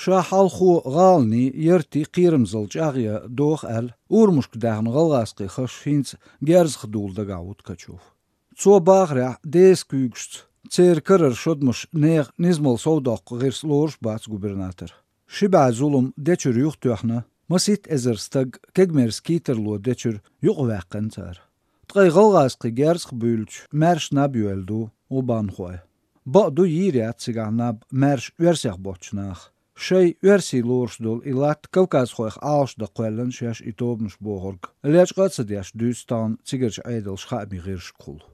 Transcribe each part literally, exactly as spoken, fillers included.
Ша хьалхо гӀаланийн, яртийн кхерамзалла чӀагӀъян доху аьлла, урамашка даьхна гӀалгӀазкхийн хаш хӀинца герзах дула дагахь ву Ткачев. Цо бахарехь, деза куьйгашца, церан карара шодмаша нехан низамал совдоккху гӀирс лоруш бац губернатор. Ши бӀе зулам дечуьра юхатоьхна, масийтта эзар стаг кегамерса кийттарло дечуьра юкъаваьккхина цара. Ткъа и гӀалгӀазкхийн герзах буьйлучу маьрша наб йоьлла ду гӀубанхой. Бакъ ду, йийр яц цигахь наб маьрша оьрсех боцчу наха. Шайн оьрсий лоруш долу и латта кавказхойх Ӏалашдан кхоьллина шаьш и тобанаш бохург лечкъа а ца деш дуьйцу тахана цигарчу Ӏедалша хаамийн гӀирсашкахула.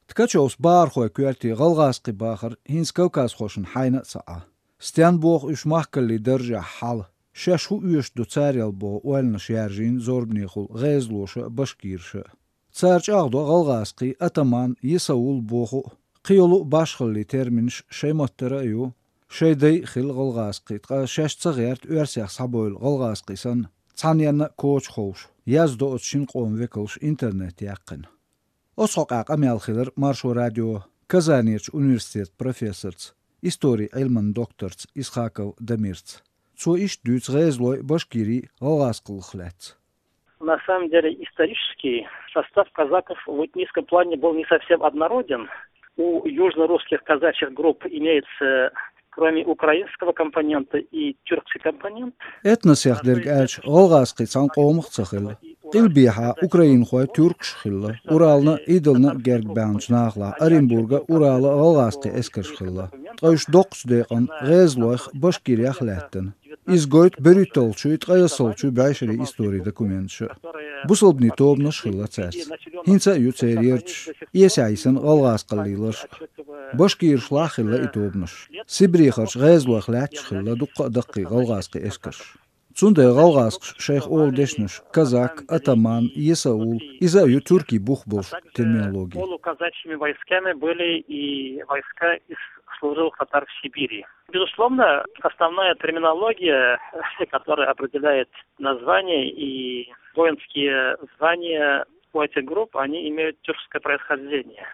Ткачевс бахархойн коьрте гӀалгӀазкхийн бахар хӀинца кавказхошна хьайна а ца Ӏа. Стенна боху уьш махкаллин даржехь хьала, шаьш хӀун оьшуш ду царел боху ойланаш яржийна зорбанехула гӀезалоша а, башкираша а. Цара чӀагӀдо гӀалгӀазкхий атаман, есаул боху а, кхин йолу а башхаллин терминаш шайн маттара а ю, шайн дай а хилла гӀалгӀазкхий, ткъа шаьш ца гӀерта оьрсех схьабевлла гӀалгӀазкхий санна, цхьанненна а коча ховш, яздо оцу шина къоман векалша интернет яьккхина. Оцу хьокъехь къамел хилира Маршо радион Казанерчу университетан профессорца, историн Ӏилманан докторца Исхаков Дамирца. Цо иштта дуьйцу гӀезалойн а, башкирийн а гӀалгӀазкхаллах лаьцна. На самом деле исторический состав казаков в этническом плане был не совсем однороден. У южнорусских казачьих групп имеется, кроме украинского компонента, и тюркский компонент. Этносех дерг аьлча, гӀалгӀазкхий цхьана къомах ца хилла. Къилбехьа украинхой, тюркаш хилла, Урална а, Идална а герга баьхначу нахалахь Оренбурга, Урала гӀалгӀазкхийн эскарш хилла. Ткъа уьш доккхачу декъана гӀезалойх, башкирех лаьттина. Иза гойту берхӀитталгӀачуй, ткъаяссалгӀачуй бӀешерийн историн документаша. Бусалбанийн тобанаш а хилла цаьрца. ХӀинца а ю церан ярташ, эсехь йисина гӀалгӀазкхаллин ларш а. Башкирашлахь а хилла и тобанаш. Сибрехарчу гӀезалойх лаьтташ а хилла дуккха а даккхий гӀалгӀазкхийн эскарш. Цундела гӀалгӀазкхаша шайх олу дешнаш казак, атаман, есаул, иза а ю тюркийн бух болуш терминологи. Полуказачьими войсками были и войска из служилых татар в Сибири. Безусловно, основная терминология, которая определяет названия и воинские звания у этих групп, они имеют тюркское происхождение.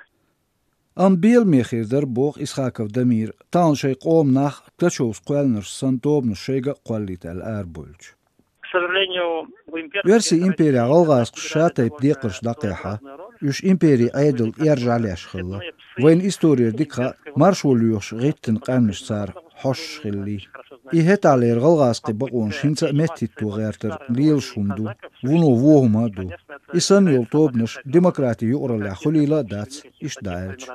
Амма беламе хир дара, боху Исхаков Дамира, тахана шайн къоман нах Ткачевс кхоьллинарш санна тобанаш шайга а кхоллийта аьлла арабевлча. К сожалению, в имперских... Оьрсийн имперехь гӀалгӀазкхаша ша-тайпа декхарш дӀакхехьна, уьш империн Ӏедална эржа леш хилла. Вайна исторера дика хаьа, маршо лоьхуш гӀиттина къаьмнаш цара хьоьстуш хиллий. И хӀетахьлера гӀалгӀазкхийн бакъонаш хӀинца а меттахӀитто гӀертар лелаш хӀума ду, вуно вон хӀума а ду. И санна йолу тобанаш демократи юкъараллехь хуьлийла а дац, иштта дӀааьлча.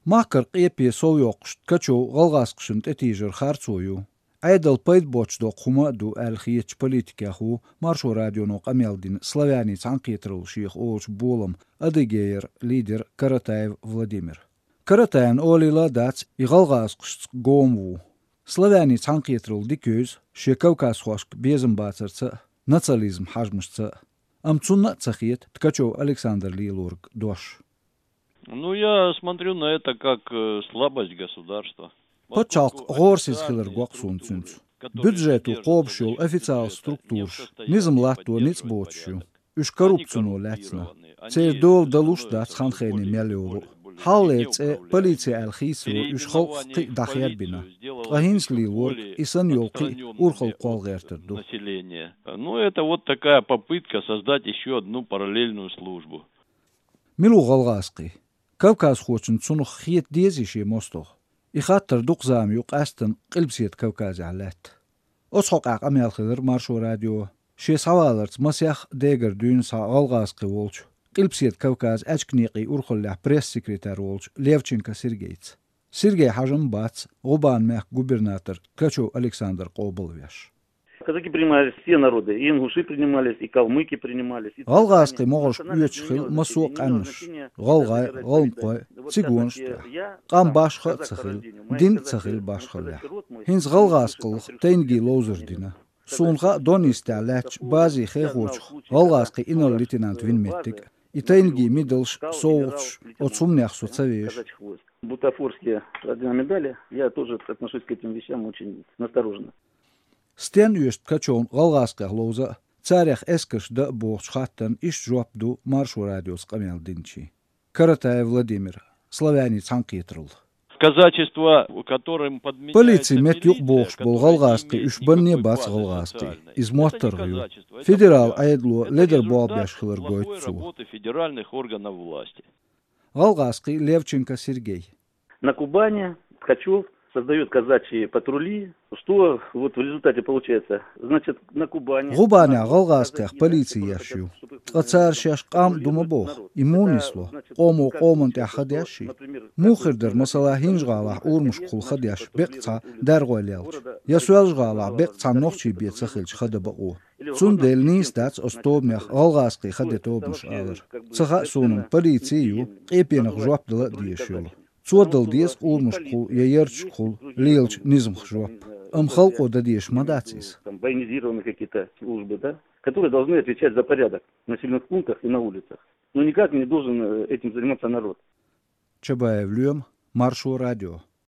Махкара къепе сов йоккхуш, Ткачев гӀалгӀазкхашна тӀетийжар харцо ю, Ӏедална пайда боцуш доккху хӀума а ду аьлла хетачу политикех ву Маршо радионо къамел дина «Славянийн цхьаьнакхетаралла» шех олучу боламан Адыгейра лидер Каратаев Владимир. Каратаевна олийла а дац, и гӀалгӀазкхашца гома ву. «Славянийн цхьаьнакхетаралла» дика евза шен кавказхошка безам бацарца а, национализм хьажамашца а. Амма цунна а ца хета Ткачев Александра лелориг дош. Ну, я смотрю на это как, э, слабость государства. Пачхьалкх гӀорасиз хилар го-кх суна цуьнца. Бюджето кхобуш йолу официалан структураш низам латто ницкъ боцуш ю. Уьш коррупцино лаьцна. Церан дола далуш дац хан-хене мел йолу. Хьалхалера цӀе полиция аьлла хийцаро уьш халкъах кхин а дӀахербина. Ткъа хӀинца лелориг и санна йолу кхин а урхалла кхолла гӀертар ду. Население. Ну, это вот такая попытка создать ещё одну параллельную службу. Мила ву гӀалгӀазкхи? Кавказхочунна цунах хета дезий шен мостагӀа? И хаттар дукха зама ю къаьсттина Къилбаседа Кавказехь лаьтта. Оцу хьокъехь къамел хилира Маршо радион шен схьаваларца масех а дегара дуьйна схьа гӀалгӀазкхи волчу, Къилбаседа Кавказан аьчка некъийн урхаллехь пресс-секретарь волчу Левченко Сергейца. Сергей хьажам бац, ГӀубан-мехкан губернатор Ткачев Александр къобалвеш. Казаки принимались все народы, и ингуши принимались, и калмыки принимались, и... ГӀалгӀазкхийн могӀаршка оьцуш хилла массо а къаьмнаш: гӀалгӀай, гӀалмакхой, цигонаш а тӀехь. Къам башха а ца хилла, дин а ца хилла башхаллехь. ХӀинца гӀалгӀазкхаллах тайниган ловзар дина. Суна хаьа, Дон йистехь лаьттачу базин хехочух гӀалгӀазкхийн инарла-лейтенант вина меттиг а. И тайниган мидалш, совгӀаташ, оцу хӀуманех со ца веша. Бутафорские ордена, медали, я тоже отношусь к этим вещам очень настороженно. Стенна оьшу Ткачевна гӀалгӀазкхех ловза а, царех эскарш дан а бохучу хаттарна иштта жоп ду Маршо радиоца къамел динчийн. Каратаев Владимир, «Славянийн цхьаьнакхетаралла». Казачество, которым подменяется... Полици мет юкъ бохуш болу гӀалгӀазкхий уьш банне бац гӀалгӀазкхий. Иза моттаргӀа ю. Федерал Ӏедало ледар болх беш хилар гойту цо. Работы федеральных органов власти. ГӀалгӀазкхий Левченко Сергей. На Кубани Ткачев создает казачьи патрули, что вот в результате получается. Значит, на Кубани... ГӀубанехь гӀалгӀазкхех полици еш ю. Ткъа цара шаьш къам ду ма боху. И муха нисло? Къомо къоман тӀехь ха деш и? Муха хир дара, масала, ХӀинжа-ГӀалахь урамашкахула ха деш бекъ цхьа даргӀой лелча, я Соьлжа-ГӀалахь бекъ цхьа нохчий бен ца хилча ха дан бакъо? Цундела нийса дац оцу тобанех гӀалгӀазкхий ха де тобанаш алар. Ца хаьа суна, полици а ю, къепенах жоп дала а дезаш йолу. Цо дала деза къурамашкахула я ярташкахула лелачу низамах жоп. Амма халкъо дан дезаш ма дац иза. Там военизированные какие-то службы, да, которые должны отвечать за порядок в населённых пунктах и на улицах. Но никак не должен, э, этим заниматься народ. Чабаев Лоьма, Маршо радио.